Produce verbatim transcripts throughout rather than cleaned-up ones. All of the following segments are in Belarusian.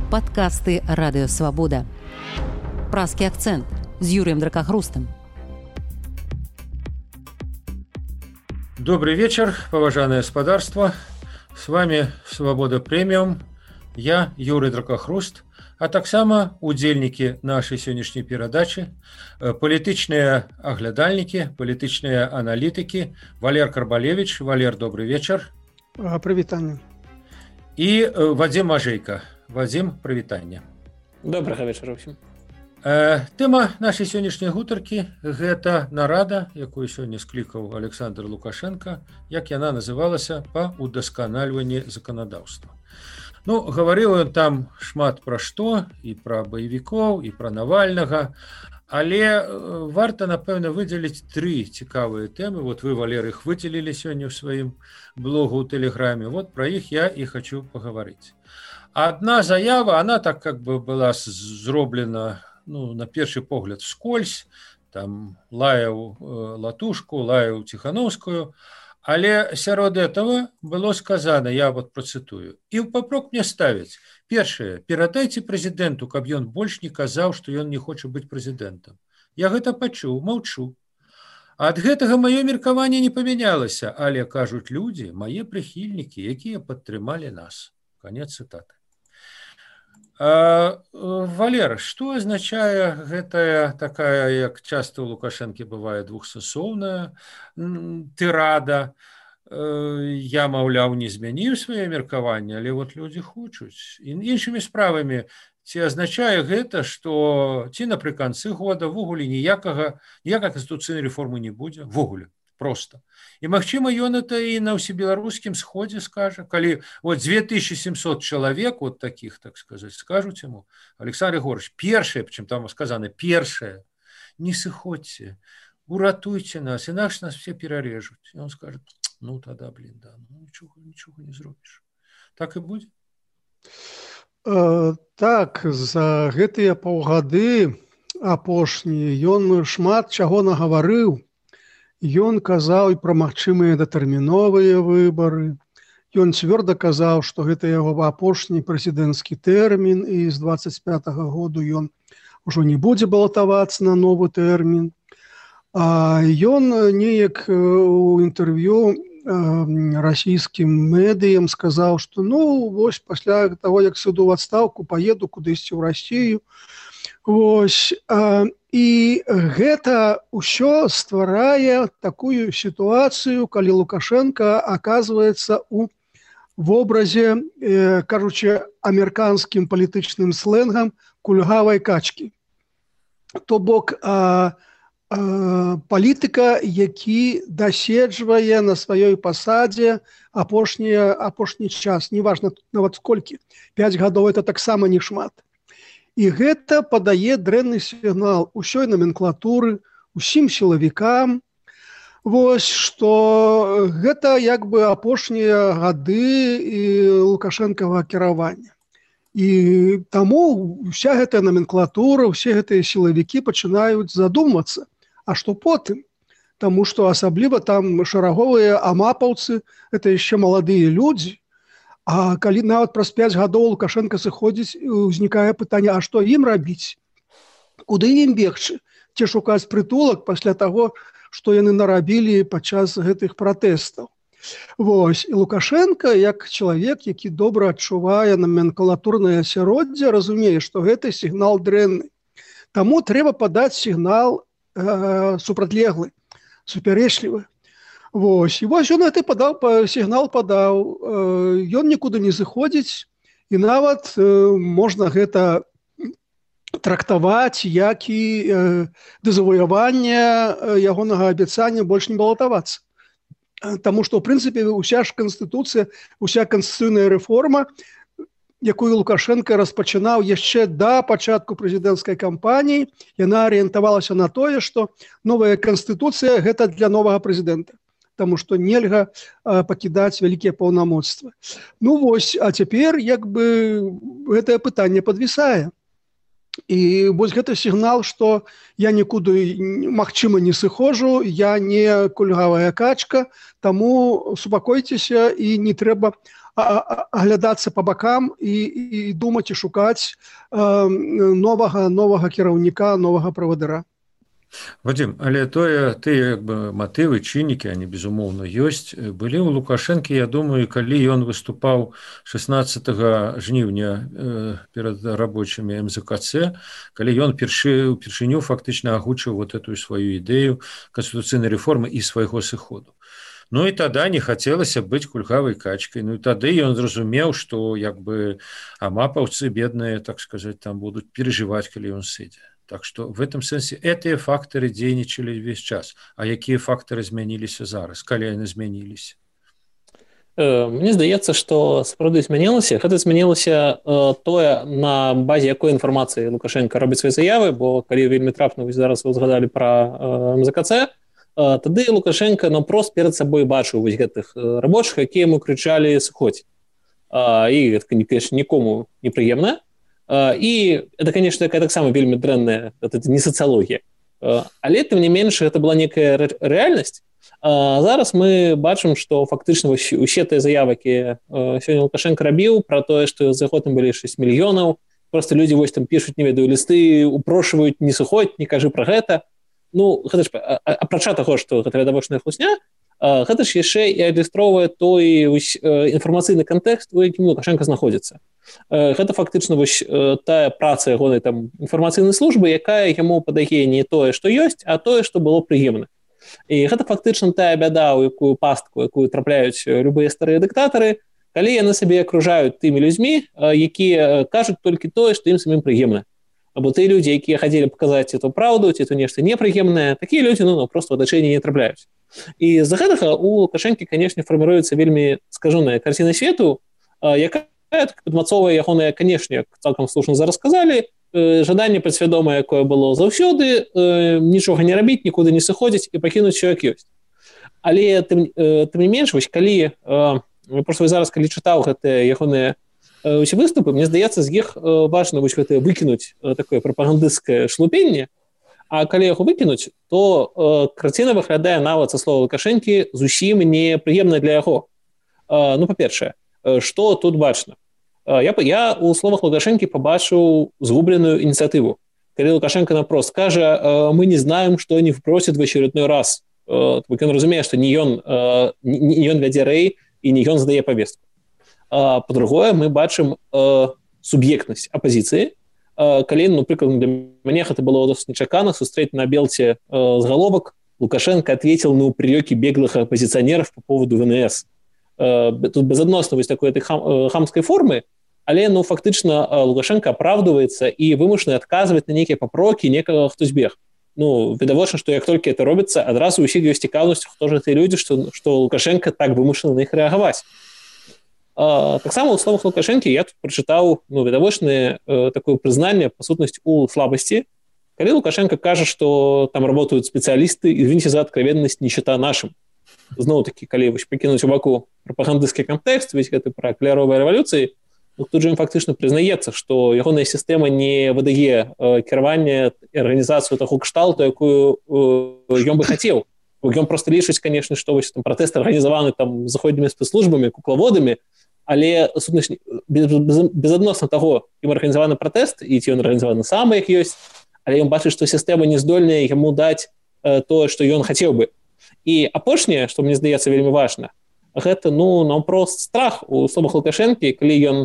Падкасты Радыёвабода. Празкі акцэнт з Юрыем Дракахрустам. Добрый вечер, поважанное господарство. С вами Свобода Премиум. Я Юрий Дракахруст, а таксама удзельнікі нашай сённяшняй перадачы, палітычныя аглядальнікі, палітычныя аналітыкі. Валер Карбалевич. Валер, добрый вечер. Прывітанне. І Вадзім Ажэйка. Вадзім, прывітанне. Добрага вечара ўсім. Тэма нашай сённяшняй гутаркі – гэта нарада, якую сёння склікаў Александр Лукашенко, як яна называлася, па удасканальванні заканадаўства. Ну, гаварыў ён там шмат пра што, і пра баевікоў, і пра Навальнага, але варта, напэўна, выдзеліць тры цікавыя тэмы. Вот вы, Валер, іх выдзелілі сёння ў сваім блогу ў Тэлеграме. Вот пра іх я і хочу пагаварыць. Одна заява, она так как бы была зроблена, ну, на першы погляд вскользь, там лаяў Латушку, лаяў Ціхановскую, але сярод этого было сказано, я вот процитую, і ў папрок мне ставяць. Першае, перадайце прэзідэнту, каб ён больш не казаў, што ён не хоча быць прэзідэнтам. Я гэта пачуў, маўчу. Ад гэтага маё меркаванне не памянялася, але кажуць людзі, мае прыхільнікі, якія падтрымалі нас. Конец цитаты. А, Валер, што азначае гэтая такая, як часта ў Лукашэнкі бывае, двухсасоўная тырада? Я, маўляў, не змяніў сваё меркаванне, але вот людзі хочуць. І іншымі справамі, ці азначае гэта, што ці напрыканцы года ввогуле ніякага, ніякай канстытуцыйнай рэформы не будзе, ввогуле, проста. І, магчыма, ён это і на ўсебеларускім сходзе скажа, калі вот две тысячи семьсот чалавек, вот таких, так сказать, скажуць яму, Александр Егорович, першае, причем там сказано, першае, не сыходзьце, уратуйте нас, інакш нас все перарежуць. І он скажет, ну, тогда, блин, да, ну, нічога, нічога не зробіш. Так і будзе? Э, так, за гэтыя паўгады апошнія ён шмат чаго нагаварыў. Ён казаў і пра магчымыя датэрміновыя выбары. Ён цвёрда казаў, што гэта яго апошні прэзідэнцкі тэрмін, і з дваццаць пятага году ён ужо не будзе балатавацца на новы тэрмін. А ён неяк у інтэрв'ю расійскім медыям сказаў, што ну, вось пасля таго, як сыду ў адстаўку, паеду кудысьці ў Расію. Вось, і гэта ўсё стварае такую сітуацыю, калі Лукашенко аказваецца ў вобразе, кажучы амерыканскім палітычным сленгам, кульгавай качкі. То бок палітыка, які даседжвае на сваёй пасадзе апошні, апошні час, неважна нават сколькі, пяць гадоў это таксама не шмат. І гэта падае дрэнны сігнал усёй наменклатуры, усім сілавікам, вось, што гэта як бы апошнія гады Лукашэнкава кіравання. І таму вся гэтая наменклатура, усе гэтыя сілавікі пачынаюць задумвацца, а што потым? Таму што асабліва там шараговыя амапаўцы, это яшчэ маладыя людзі. А калі нават праз пяць гадоў Лукашенко сыходзіць, узнікае пытанне, а што ім рабіць? Куды ім бегчы? Ці шукаць прытулак пасля таго, што яны нарабілі падчас гэтых пратэстаў? Вось, і Лукашенко, як чалавек, які добра адчувае наменклатурнае асяроддзе, разумее, што гэта сігнал дрэнны. Таму трэба падаць сігнал э, супрацьлеглы, супярэчлівы. Вось, і вось ён гэты падаў, сігнал падаў, ён нікуды не зыходзіць, і нават можна гэта трактаваць, як і дэзавояванне ягонага абяцання больш не балатавацца. Таму што, ў прынцыпе, уся ж канстытуцыя, уся канстытуцыйная рэформа, якую Лукашенко распачынаў яшчэ да пачатку прэзідэнцкай кампаніі, яна арыентавалася на тое, што новая канстытуцыя гэта для новага прэзідэнта. Таму што нельга а, пакідаць вялікія паўнамоцтвы. Ну вось, а цяпер як бы гэтае пытанне падвісае. І вось гэта сігнал, што я нікуды, магчыма, не сыходжу, я не кульгавая качка, таму супакойцеся і не трэба аглядацца по бакам і, і думаць і шукаць новага новага кіраўніка, новага правадыра. Вадзім, але тое тыя як бы матывы, чыннікі, они безумоўна ёсць, былі ў Лукашэнкі, я думаю, калі ён выступаў шаснаццатага жніўня перад рабочымі эм зэ ка цэ, калі ён першы упершыню фактычна агучыў вот эту сваю ідэю канстытуцыйнай рэформы і свайго сыходу. Ну і тада не хацелася быць кульгавай качкай. Ну і тады ён зразумеў, што як бы амапаўцы бедныя, так сказаць, там будуць перажываць, калі ён сыдзе. Так что в этом сэнсе гэтыя фактары дзейнічалі весь час. А якія фактары змяніліся зараз, калі яны змяніліся? Мне здаецца, што сапраўды змянілася. Гэта змянілася тое, на базе якой інфармацыі Лукашенко робіць свае заявы, бо калі вельмі трапна, зараз вы згадалі пра эм зэ ка цэ, тады Лукашенко наўпрост перад сабой бачыў вось гэтых рабочых, якія яму крычалі «сыходзь». І гэта, конечно, нікому непрыемна. І это, конечно, такая таксама вельмі дрэнная, это не сацыялогія. Але тым не менш гэта была некая рэальнасць. Зараз мы бачым, што фактычна усе тыя заявы, якія сёння Лукашенко рабіў пра тое, што за годам былі шэсць мільёнаў, просто людзі вось там пішуць, не ведаю, лісты, упрошваюць не сыходзь, не кажы пра гэта. Ну, гэта ж апрача таго, што гэта відавочная хлусня, гэта ж яшчэ і адлюстроўвае той інфармацыйны кантэкст, у якім Лукашенко знаходзіцца. Гэта фактычна вось тая праца ягонай там інфармацыйнай службы, якая яму падае не тое, што ёсць, а тое, што было прыемна. І гэта фактычна тая бяда, у якую пастку, якую трапляюць любыя старыя дыктатары, калі яны сабе акружаюць тымі людзьмі, якія кажуць толькі тое, што ім самім прыемна. Або тыя людзі, якія хацелі паказаць эту праўду, ці то нешта непрыемнае, такія людзі ну, проста ў атачэнні не трапляюць. І з-за гэтага у Лукашэнкі, канешне, фарміруецца вельмі скажаная карціна свету, якая падмацоўвае ягоныя, канешне, цалкам слушна зараз сказалі, жаданне падсвядомае, якое было заўсёды, нічога не рабіць, нікуды не сыходзіць і пакінуць усё як ёсць. Але тым, тым не менш, вось калі проста зараз калі чытаў гэтыя ягоныя усе выступы, мне здаецца, з іх важна вось гэтае выкінуць такое прапагандысцкае шлупенне, а калі яго выкінуць, то карціна выглядае нават, са слова Лукашэнкі, зусім непрыемна для яго. Ну, па-першае, што тут бачна? Я, я у словах Лукашэнкі пабачыў згубленую инициативу. Калі Лукашенко напрост кажа, мы не знаем, что они вбросят в очередной раз. Он разумее, что не он, не он вядзе рэй и не он задае повестку. По-другое, мы бачым суб'ектнасць апозіцыі. Калі, напрыклад, для мяне гэта было досыць нечакана сустрэць на Белце заголовок «Лукашенко ответил на упреки беглых оппозиционеров по поводу вэ эн эс». Тут безадносна вось такой этой хам, хамской формы, але ну, фактычна Лукашенко оправдывается и вымушаны адказваць на нейкія папрокі некага, хто збег. Ну, відавочна, што як толькі это робіцца, адразу ўсіх ёсць цікаўнасць, хто ж тыя людзі, што, што Лукашенко так вымушаны на іх рэагаваць. Таксама ў словах Лукашэнкі я тут прачытаў ну, відавочнае э, такое прызнанне, па сутнасці, у слабасці. Калі Лукашенко кажа, што там работают спецыялісты, извините за откровенность, не счета нашим. Зноў-такі, калі вось пакінуць у баку прапагандысцкі кантэкст, весь гэты пра каляровыя рэвалюцыі, ну, тут же ім фактычна прызнаецца, што ягоная сістэма не выдае э, кіраванне і арганізацыю таго кшталту, якую э, ён бы хацеў. Ён проста лічыць, канешне, што вось там пратэсты арганізаваны там заходнімі спецслужбамі, куклаводамі, але сутнасць без, без, безадносна таго, ім арганізаваны пратэст, і ці ён арганізаваны сам, як ёсць, але ён бачыць, што сістэма не здольная яму даць э, тое, што ён хацеў бы. І апошняе, што мне здаецца вельмі важна, гэта ну наўпрост страх у словах Лукашэнкі, калі ён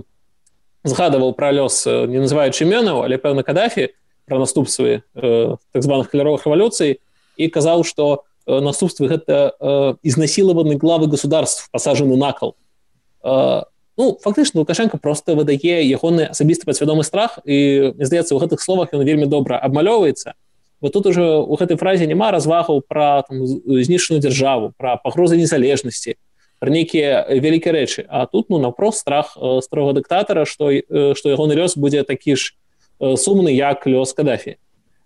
згадаваў пра лёс, не называючы імёнаў, але пэўна Кадафі, пра наступствы э, так званых каляровых рэвалюцый, і казаў, што э, наступствы гэта э, изнасилованы главы государств, пасажаны на кол. Э, ну, фактычна Лукашенко проста выдае ягоны асабісты падсвядомы страх, і мне здаецца, у гэтых словах ён вельмі добра абмалёўваецца. Бо тут уже у гэтай фразе няма развагаў пра там, знішчаную дзяржаву, пра пагрозы незалежнасці, пра нейкія вялікія рэчы. А тут ну, наўпрост страх э, старога дыктатара, што, э, што ягоны лёс будзе такі ж э, сумны, як лёс Кадафі.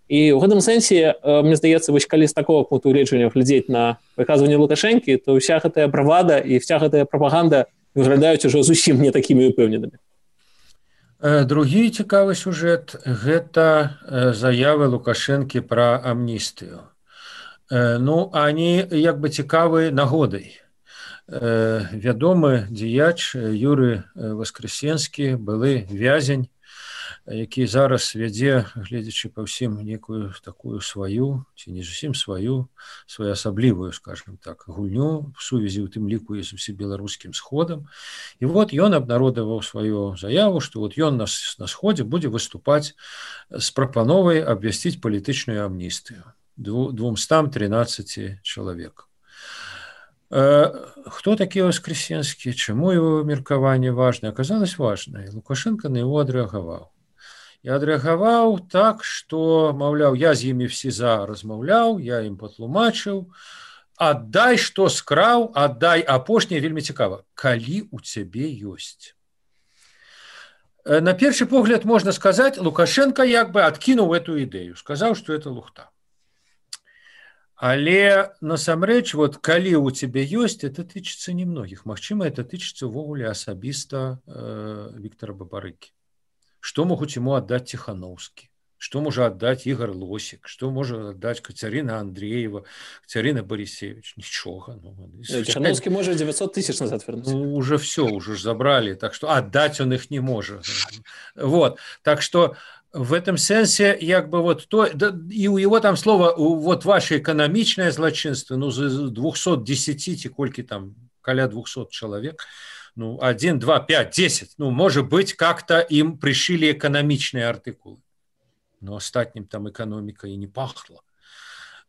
І ў гэтым сэнсе, э, мне здаецца, вось калі з такого пункту гледжання глядзець на выказванне Лукашэнкі, то ўся гэтая бравада і вся гэтая прапаганда выглядаюць ужо зусім не такімі упэўненымі. Другі цікавы сюжэт – гэта заявы Лукашэнкі пра амністыю. Ну, они як бы цікавы нагодай. вядомы дзеяч Юрый Воскресенскі, былы вязень, які зараз вядзе, гледзячы па ўсім, некую такую сваю, ці не зусім сваю, своеасаблівую, скажем так, гульню в сувязі ў тым ліку з усебеларускім сходам. І вот ён абнародаваў сваю заяву, што вот ён на, на сходзе будзе выступаць з прапановай абвясціць палітычную амністыю двумстам трынаццаці чалавек. Хто такі Воскресенскі, чаму его меркаванне важнае? Аказалось важнае. Лукашенко на его адрэагаваў. І адрэагаваў так, што, маўляў, я з імі всі за размаўляў, я ім патлумачыў, аддай, што скраў, аддай. Апошняе вельмі цікава. Калі у цябе ёсць. На першы погляд можна сказаць, Лукашенко як бы адкінуў эту ідэю, сказаў, што это лухта. Але насамрэч, вот калі у цябе ёсць, это тычыцца немногіх. Магчыма, это тычыцца ўвогуле асабіста э, Віктора Бабарыкі. Што могуць ему аддаць Ціхановскі? Што можа аддаць Ігор Лосік? Што можа аддаць Кацярына Андреева, Кацярына Борисевич? Нічога. Ну, Ціхановскі можа девятьсот тысяч назад вернуць. Ну, уже все, уже ж забрали, так што аддаць он іх не можа. Вот. Так што в этом сенсе, як бы вот то, да, и у его там слово, вот ваше экономичное злочинство, ну, з двухсот десяти, ці колькі там, каля двухсот человек, ну, один, два, пять, десять, ну, может быть, как-то им пришили экономичные артикулы. Но остатним там экономика и не пахла.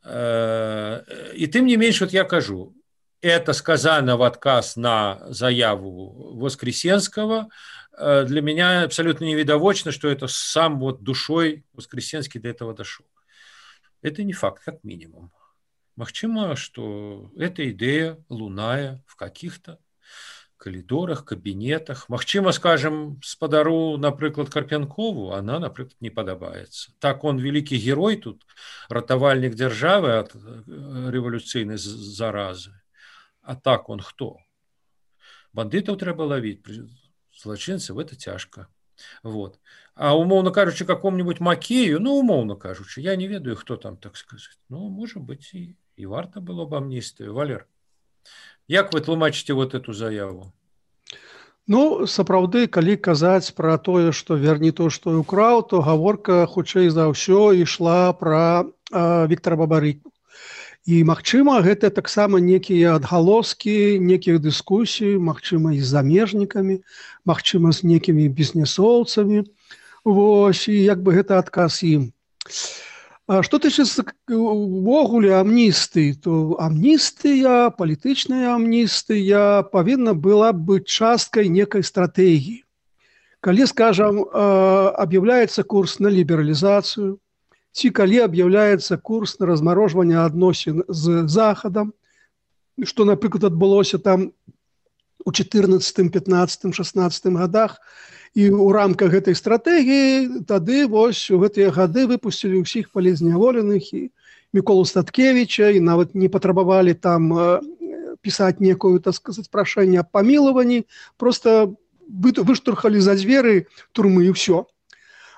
И тем не меньше, вот я кажу, это сказано в отказ на заяву Воскресенского. Для меня абсолютно невидовочно, что это сам вот душой Воскресенский до этого дошел. Это не факт, как минимум. Магчыма, что эта идея луная в каких-то коридорах, кабинетах. Магчыма, скажем, спадару, напрыклад, Карпянкову, она, напрыклад, не падабаецца. Так он великий герой тут, ратавальнік дзяржавы от революцыйнай заразы. А так он кто? Бандытаў трэба ловить, злачынцаў, это тяжко. Вот. А умоўно кажучы, какому-нибудь Макею, ну, умоўно кажучы, я не ведаю, кто там, так сказать. Ну, может быть, и, и варта было бы амністыю. Валер, як вы тлумачыце вот эту заяву? Ну, сапраўды, калі казаць пра тое, што верні то, што і украў, то гаворка хутчэй за ўсё ішла пра э, Віктара Бабарыку. І, магчыма, гэта таксама некія адгалоскі, некіх дыскусій, магчыма, і з замежнікамі, магчыма, з некімі бізнесоўцамі. Вось, і як бы гэта адказ ім. А што тычыцца увогуле амністыі, то амністыя, палітычная амністыя павінна была быць часткай некай стратэгіі. Калі, скажам, аб'яўляецца курс на лібералізацыю, ці калі аб'яўляецца курс на размарожванне адносін з Захадам, што, напрыклад, адбылося там у чатырнаццатым, пятнаццатым, шаснаццатым гадах, і ў рамках гэтай стратэгіі тады вось у гэтыя гады выпусцілі ўсіх палізняволеных і Міколу Статкевіча, і нават не патрабавалі там пісаць некую, так сказаць, прашэнне аб памілаванні, проста выштурхалі за дзверы турмы і ўсё.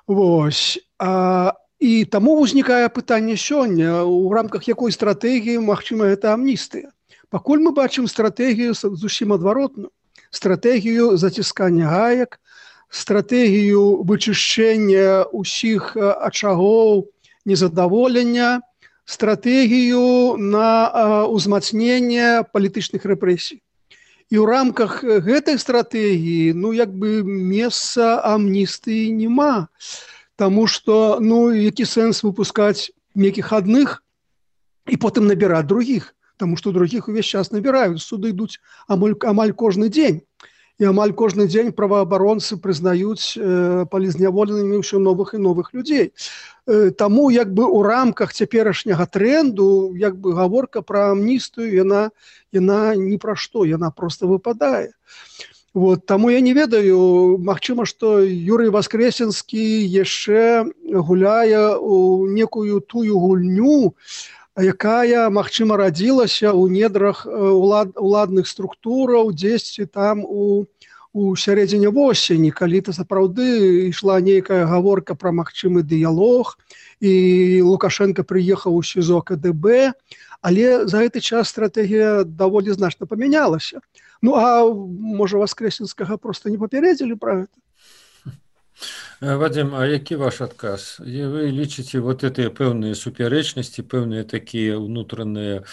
Вось. А, і таму ўзнікае пытанне сёння, у рамках якой стратэгіі, магчыма, гэта амністыя. Пакуль мы бачым стратэгію зусім адваротную. Стратэгію заціскання гаек, стратэгію вычышчэння ўсіх ачагоў незадаволення, стратэгію на ўзмацненне палітычных рэпрэсій. І ў рамках гэтай стратэгіі, ну, як бы месца амністыі няма. Таму што, ну, які сэнс выпускаць некіх адных і потым набіраць другіх. Таму што другіх увесь час набіраюць. Суды ідуць амаль, амаль кожны дзень. І амаль кожны дзень праваабаронцы прызнаюць э, палізняволенымі ўсё новых і новых людзей. Э, таму як бы ў рамках цяперашняга тренду як бы гаворка пра амністыю, яна, яна ні пра што, яна проста выпадае. Вот, таму я не ведаю, магчыма, што Юрый Воскресенскі яшчэ гуляе у некую тую гульню, якая, магчыма, радзілася ў недрах улад, уладных структураў, дзесьці там у, у сярэдзіне восені, калі-то сапраўды ішла нейкая гаворка пра магчымы дыялог, і Лукашенко прыехаў у СІЗО КДБ, але за гэты час стратэгія даволі значна памянялася. Ну, а можа, Воскресенскага проста не папярэдзілі пра гэта? Вадим, а які ваш адказ? Вы лічыце вот гэтыя пэўныя супярэчнасці, пэўныя такія ўнутраныя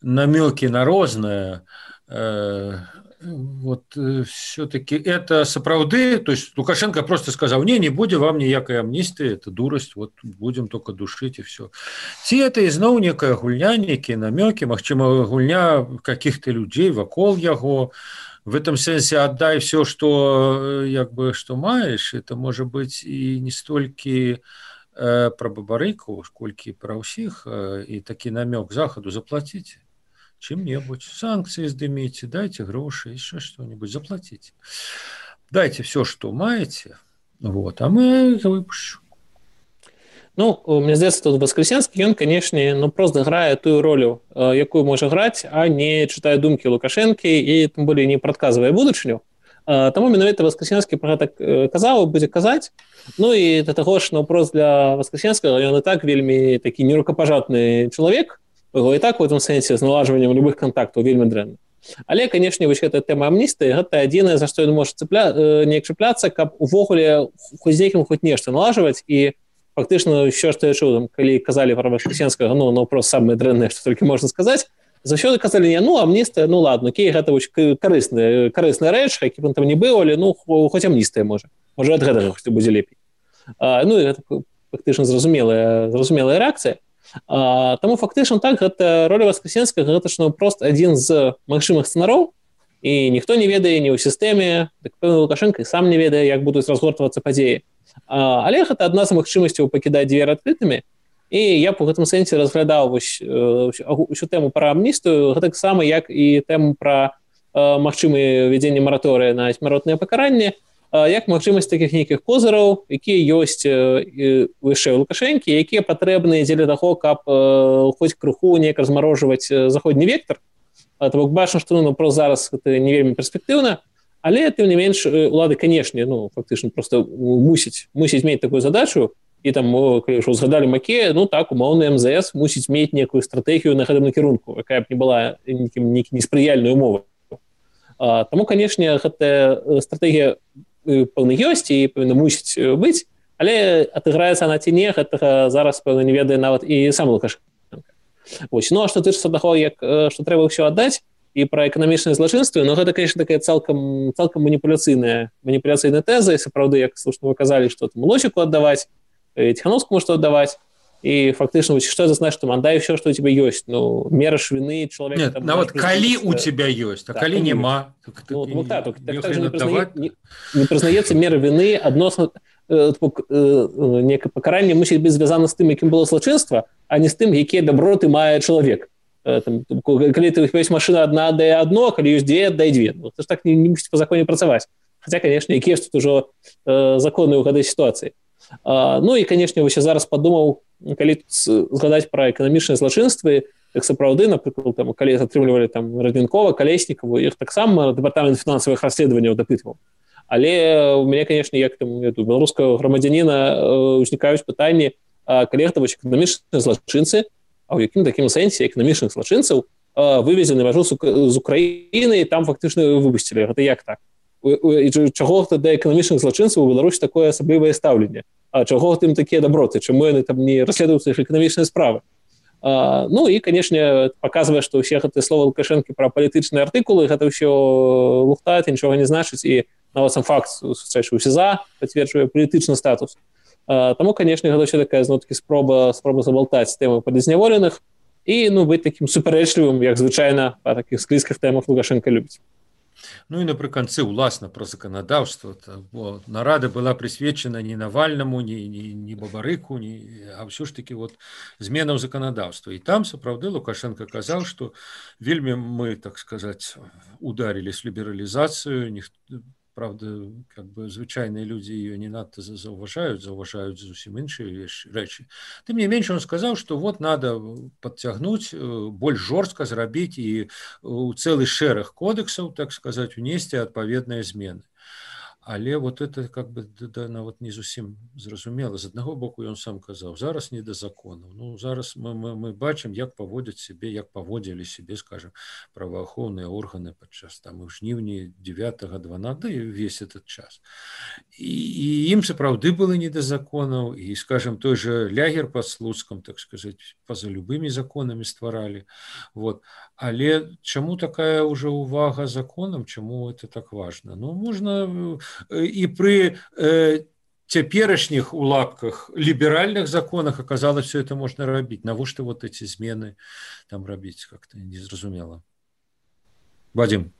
намёкі на рознае, э, вот все-таки это сапраўды, то есть Лукашенко просто сказал: не, не будем вам никакой амнистии, это дурость, вот будем только душить и все. Ці это изноў некая гульня, некие намеки, магчыма гульня каких-то людей вокол яго, в этом сенсе отдай все, что, як бы, что маешь, это может быть и не столько э, про Бабарыку, сколько про всех, э, и таки намек Заходу: заплатите чем-нибудь, санкции сдымите, дайте гроши, еще что-нибудь, заплатите. Дайте все, что маете, вот, а мы выпущу. Ну, мне здаецца, тут Воскресенскі, ён, канешне, ну, просто грае тую ролю, якую можа граць, а не чытае думкі Лукашэнкі і тым болей не прадказвае будучыню. Таму менавіта Воскресенскі пра гэта казаў, будзе казаць. Ну і да таго ж, наўпрост для Воскресенскага ён і так вельмі такі нерукапажатны чалавек, яго і так у гэтым сэнсе з налажваннем любых кантактаў вельмі дрэнна. Але, канешне, вось гэта тэма амністыі, гэта адзінае, за што ён можа цыпля... неяк чапляцца, каб увогуле хоць з якім хоць нешта налажваць. І фактычна ўсё, што я чуў, там, калі казалі пра Воскресенскага, ну, наўпрост самае дрэннае, што толькі можна сказаць, заўсёды казалі: не, ну, амністыя, ну, ладно, окей, гэта вось карысная, карысная рэч, які б он там не быў, але, ну, хоць амністыя можа. Можа, ад гэтага хоць будзе лепей. А, ну, і гэта фактычна зразумелая, зразумелая рэакцыя. А, таму фактычна так, гэта роля Воскресенскага, гэта ж прост адзін з магчымых сцэнароў, і ніхто не ведае ні ў сістэме, так пэўна Лукашенко і сам не ведае, як будуць разгортвацца падзеі. А, але гэта адна з магчымасцяў пакідаць дзверы адкрытымі, і я б у гэтым сэнсе разглядаў вось усю тэму пра амністыю, гэтак сама, як і тэму пра магчымае ввядзенне мараторыя на смяротнае пакаранне, як магчымасць такіх нейкіх козыраў, якія ёсць яшчэ ў Лукашэнкі, якія патрэбныя дзеля таго, каб хоць крыху неяк размарожваць заходні вектар. То бок бачна, што, ну, прост зараз гэта не вельмі перспектыўна, але тым не менш улады, канешне, ну, фактычна проста мусіць мусіць мець такую задачу. І там, калі ўжо згадалі Макея, ну так, умоўны эм зэ эс мусіць мець некую стратэгію на гэтым накірунку, якая б не была неспрыяльнай умовай. Таму, канешне, гэтая стратэгія пэўна ёсць і пэўна мусіць быць, але адыграецца она ці не, гэтага зараз, пэўна, не ведае нават і сам Лукашенко. Вось. Ну, а што тычыцца таго, як што трэба ўсё аддаць, і пра эканамічнае злачынства, ну, гэта, конечно, такая цалкам, цалкам маніпуляцыйная, маніпуляцыйная тэза, і сапраўды, як слушна вы казалі, што там Лосіку аддаваць, Тихановскому что отдавать, и фактично, что это значит, что отдай все, что у тебя есть. Ну, мера швины человека... Нет, ну вот коли у тебя есть, а да, коли нема. Так, ну, вот так, так, так также не, признає, не, не признається мера вины адносно э, э, некое покарание мусить быть звязано с тем, яким было злочинство, а не с тем, якие доброты мае человек. Э, там, коли ты есть машина одна, отдай одно, коли есть две, отдай две. Ну, это же так не, не мусить по закону працаваць. Хотя, конечно, якія тут уже э, законы ў гэтай ситуации. Uh, ну і, канешне, вось я зараз падумаў, калі згадаць пра эканамічныя злачынствы, так сапраўды, напрыклад, там, калі атрымлівалі там Радзінкова, Калеснікаву, іх таксама дэпартамент фінансавых расследаванняў дапытваў. Але у мяне, канешне, як там беларускага грамадзяніна узнікаюць пытанні, калі гэта вось эканамічныя злачынцы, а ў якім такім сэнсе эканамічных злачынцаў вывезены мяжу з Украіны і там фактычна выпусцілі. Гэта як так? І чаго да эканамічных злачынцаў у Беларусі такое асаблівае стаўленне? А чаго тым такія доброты? Чаму яны там не расследуюцца іх эканамічныя справы? А, ну і, канешне, паказвае, што ўсе гэтыя словы Лукашэнкі пра палітычныя артыкулы, гэта ўсё лухта, нічога не значыць, і нават сам факт сустрэчы ў СІЗА пацверджвае палітычны статус. А, таму, канешне, гэта ўсё такая зноў-такі спроба спроба забалтаць тэмы палізняволеных і, ну, быць такім супярэчлівым, як звычайна па такіх склізках тэмах Лукашенка любіць. Ну і напрыканцы ўласна пра заканадаўства, бо нарада была прысвечана не Навальнаму, не, не, не Бабарыку, не, а ўсё ж таки вот зменам заканадаўства. І там сапраўды Лукашенко казаў, што вельмі мы, так сказаць, ударили с лібералізацыю, правда, как бы звычайныя людзі ее не надта заўважаюць, заўважаюць зусім іншыя рэчы. Тым не менш, он сказаў, што вот надо подцягнуць, больш жорстка зрабіць і у цэлы шэраг кодексаў, так сказаць, унесці адпаведныя змены. Але вот это как бы да, нават не зусім зразумела. З аднаго боку ён сам казаў, зараз не да законаў. Ну зараз мы, мы, мы бачым, як паводзяць сябе, як паводзілі сябе, скажем, праваахоўныя органы падчас там у жніўні дзевятага дванадцатага і ўвесь этот час. І, і ім сапраўды было не да законаў, і, скажем, той же лягер под Слуцкам, так сказаць, па-за любымі законамі стваралі. Вот. Але чаму такая уже увага законам, чаму это так важна? Ну, можна і пры э, цяперашніх у лапках ліберальных законах аказалось, все это можна рабіць. Навошта вот эти змены там рабіць, как-то незразумела. Вадим.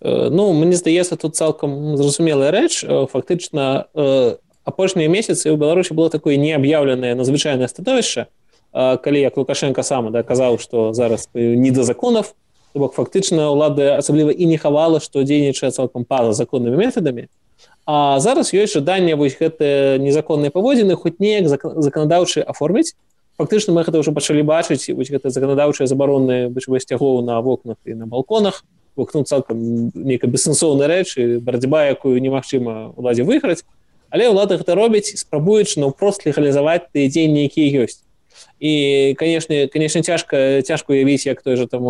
Ну, мені здається, тут цалкам зрозуміла рэч. Фактычна, апошнія месяцы ў Беларусі было такое неаб'яўленае надзвычайнае становішча, калі як Лукашенко сам да, казаў, што зараз не да законаў, то бок фактычна ўлада асабліва і не хавала, што дзейнічае цалкам па-за законнымі метадамі. А зараз ёсць жаданне вось гэтыя незаконныя паводзіны хоць неяк заканадаўчы аформіць. Фактычна мы гэта ўжо пачалі бачыць, вось гэта заканадаўчыя забароны сцягоў на вокнах і на балконах, вокну цалкам нейкая бессэнсоўная рэч, і барацьба, якую немагчыма ўладзе выйграць. Але ўлада гэта робіць, спрабуючы наўпрост легалізаваць тыя дзеянні, якія ёсць. І, конечно, конечно, цяжка, цяжка уявіць, як той же там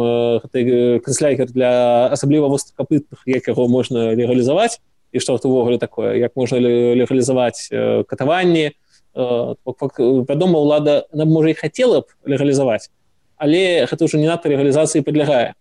канцлягер для асабліва востракапытных, як яго можна легалізаваць, і што гэта ўвогуле такое, як можна легалізаваць катаванні. Вядома, ўлада, она, можа, і хацела б легалізаваць, але гэта ўжо не надта легалізацыі падлягае.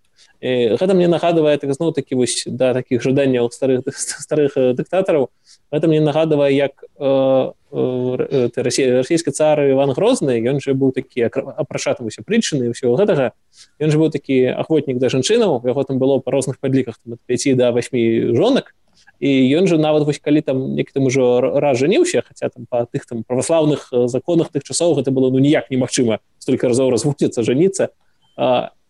І гэта мне нагадвае, так, зноў такі вось, да, такіх жаданняў старых, старых дыктатараў. Гэта мне нагадвае, як э, э, расійскі цар Іван Грозны, ён же быў такі апрашаты ўсе прычыны і ўсё гэтага. Ён же быў такі ахвотнік да жанчынаў, яго там было па розных падліках ад пяці да васьмі жонак. І ён же нават вось калі там некі там ужо раз жаніўся, хаця там па тых там праваслаўных законах тых часоў гэта было ну ніяк немагчыма столькі разоў разводзіцца, жаніцца.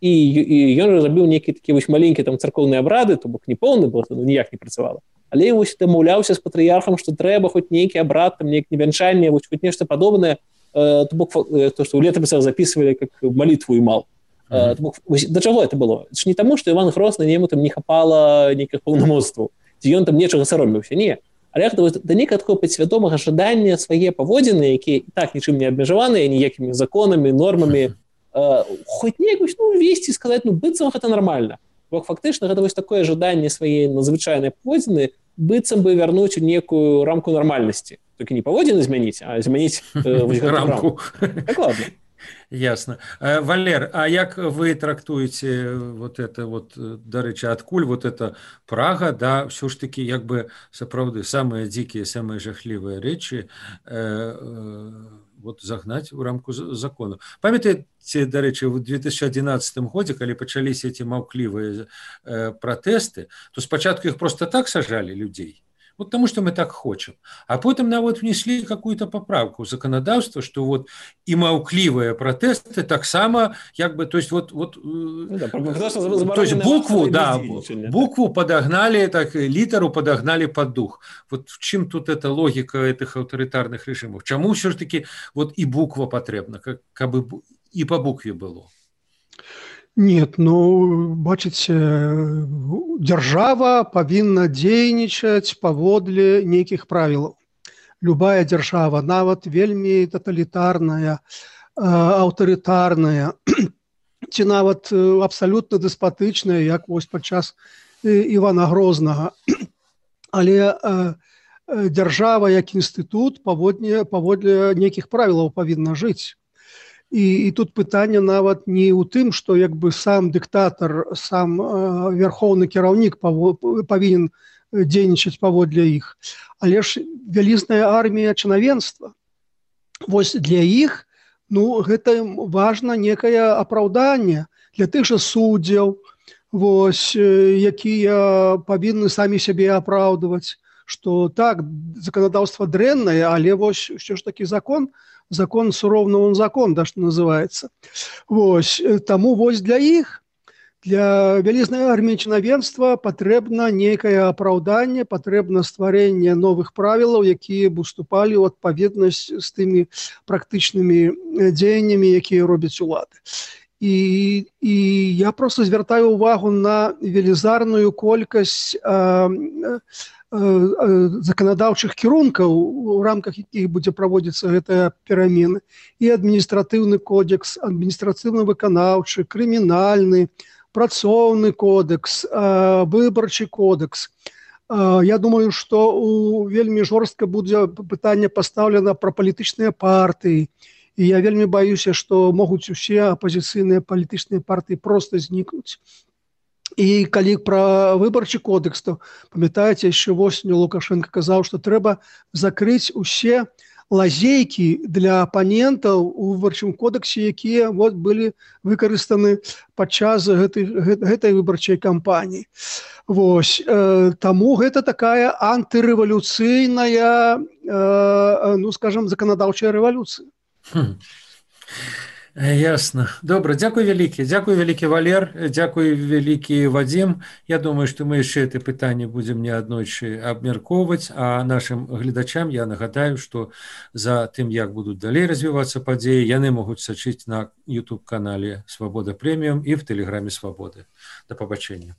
І, і ён же зрабіў нейкі такі вось маленькі там царкоўныя абрады, то бок не поўны, бо ну, ніяк не працавала. Але вось дамаўляўся з патрыярхам, што трэба хоць нейкі абрад, там нейкі вянчанне, вось хоць нешта падобнае, э, то бок то, што ў летапісах запісвалі як малітву і мал. Mm-hmm. Э, бок, вось, да чаго это было? Це ж не таму, што Іван Грозны яму там не хапала нейкіх паўнамоцтваў, ці ён там нечага саромеўся, не. Але гэта вось, да нейкага такого падсвядомага жадання свае паводзіны, якія і так нічым не абмежаваныя, ніякімі законамі, нормамі, Uh, хоць неяк ну, весці сказаць, ну, быццам гэта нармальна. Бо фактычна гэта вось такое жаданне свае надзвычайнай паводзіны быццам бы вярнуць у некую рамку нармальнасці. Толькі не паводзіны змяніць, а змяніць uh, вось гэту рамку. Дакладна. Ясно. Валер, а як вы трактуеце вот это вот, дарэчы, адкуль вот это Прага, да, ўсё ж таки як бы сапраўды самыя дзікія, самыя жахлівыя рэчы э, э, вот загнаць у рамку закону. Памятаеце, дарэчы, в две тысячи одиннадцатом годзе, калі пачаліся эти маўклівыя э, пратэсты, то спачатку іх просто так сажалі людзей, вот потому что мы так хочем. А потом нават внесли какую-то поправку в законодавство, что вот и маўклівыя протесты таксама, як бы, то есть вот, вот да, то есть букву, да, букву подогнали, так, литеру подогнали под дух. Вот в чем тут эта логика этих авторитарных режимов? Чему все-таки вот и буква потребна, как, как бы и по букве было? Нет, ну, бачыце, дзяржава павінна дзейнічаць паводле нейкіх правілаў. Любая дзяржава, нават вельмі таталітарная, аўтарытарная, ці нават абсалютна дэспатычная, як вось падчас Івана Грознага. Але дзяржава як інстытут паводле, паводле нейкіх правілаў павінна жыць. І, і тут пытанне нават не ў тым, што як бы сам дыктатар, сам э, верхоўны кіраўнік павінен дзейнічаць паводле іх, але ж вялізная армія чынавенства. Вось для іх, ну, гэта важна некае апраўданне для тых жа суддзяў, вось, якія павінны самі сябе апраўдваць, што так, заканадаўства дрэннае, але вось ўсё ж такі закон, закон суровно он закон, да, что называется. Вось, таму вось для іх, для вялізнай арміі чынавенства патрэбна нейкае апраўданне, патрэбна стварэнне новых правілаў, якія б уступалі ў адпаведнасць з тымі практычнымі дзеяннямі, якія робяць улады. І, і я просто звяртаю ўвагу на велізарную колькасць э, заканадаўчых кірункаў, у рамках якіх будзе праводзіцца гэтая перамена, і адміністратыўны кодекс, адміністрацыйна-выканаўчы, крымінальны, працоўны кодекс, выбарчы кодекс. Я думаю, што вельмі жорстка будзе пытанне пастаўлена пра палітычныя партыі. І я вельмі баюся, што могуць усе апазіцыйныя палітычныя партыі проста знікнуць. І калі пра выбарчы кодекс, то памятаеце, яшчэ восенню Лукашенко казаў, што трэба закрыць усе лазейкі для апанентаў у выбарчым кодексе, якія вот былі выкарыстаны падчас гэтай, гэтай выбарчай кампаніі. Вось, э, таму гэта такая антырэвалюцыйная, э, ну, скажам, заканадаўчая рэвалюцыя. Хм. Ясна. Добра, дзякуй вялікі. Дзякуй вялікі, Валер. Дзякуй вялікі, Вадзім. Я думаю, што мы яшчэ гэта пытанне будзем неаднойчы абмяркоўваць, а нашым гледачам я нагадаю, што за тым, як будуць далей развівацца падзеі, яны могуць сачыць на YouTube-канале «Свабода Прэміум» і в Тэлеграме «Свабоды». Да пабачэння.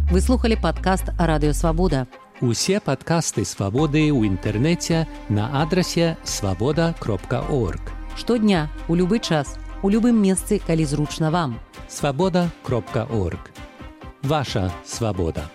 Вы слухали падкаст «Радыё Свабода». Усе падкасты «Свабоды» ў інтэрнэце на адрасе свабода кропка орг. Штодня, у любы час, у любым месцы, калі зручна вам. свабода кропка орг. Ваша свабода.